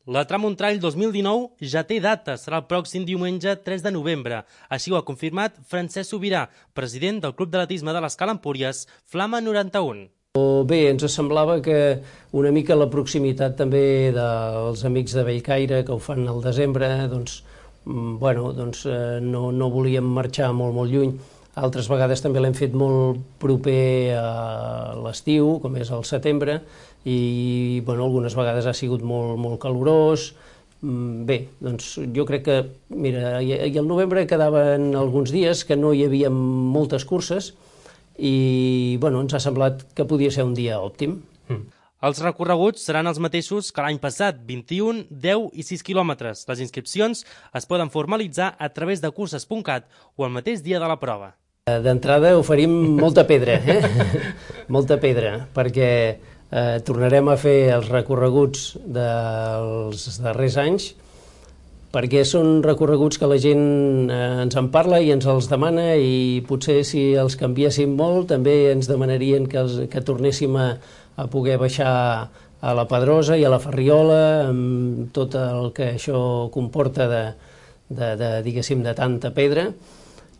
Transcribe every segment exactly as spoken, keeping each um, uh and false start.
La Tram Trail dos mil dinou ja té data, serà el pròxim diumenge tres de novembre. Així ho ha confirmat Francesc Subirà, president del Club d'Atletisme de l'Escala Empúries, Flama noranta-u. Bé, ens semblava que una mica la proximitat també dels amics de Bellcaire, que ho fan al desembre, doncs, bueno, doncs no, no volíem marxar molt, molt lluny. Altres vegades també l'hem fet molt proper a l'estiu, com és el setembre, i bueno, algunes vegades ha sigut molt, molt calorós. Bé, doncs jo crec que, mira, i al novembre quedaven alguns dies que no hi havia moltes curses i bueno, ens ha semblat que podia ser un dia òptim. Mm. Els recorreguts seran els mateixos que l'any passat, vint-i-un, deu i sis quilòmetres. Les inscripcions es poden formalitzar a través de curses punt cat o el mateix dia de la prova. D'entrada oferim molta pedra, eh? molta pedra, perquè eh, tornarem a fer els recorreguts dels darrers anys, perquè són recorreguts que la gent eh, ens en parla i ens els demana, i potser si els canviéssim molt també ens demanarien que, els, que tornéssim a, a poder baixar a la Pedrosa i a la Ferriola, amb tot el que això comporta de, de, de, diguéssim, de tanta pedra.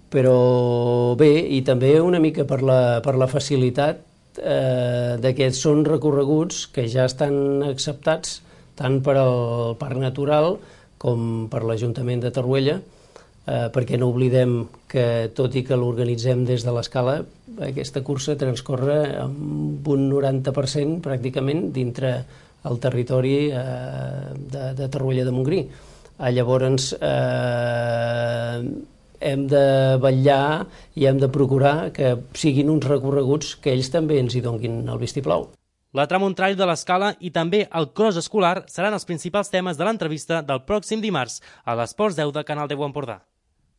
Però bé, i també una mica per la, per la facilitat eh, de que són recorreguts que ja estan acceptats tant per al Parc Natural com per l'Ajuntament de Torroella, eh, perquè no oblidem que, tot i que l'organitzem des de l'Escala, aquesta cursa transcorre amb un noranta per cent pràcticament dintre el territori eh, de, de Torroella de Montgrí. Ah, llavors, eh, hem de vetllar i hem de procurar que siguin uns recorreguts que ells també ens hi donguin el vistiplau. La Tram Trail de l'Escala i també el cross escolar seran els principals temes de l'entrevista del pròxim dimarts a l'Esports deu de Canal deu Empordà.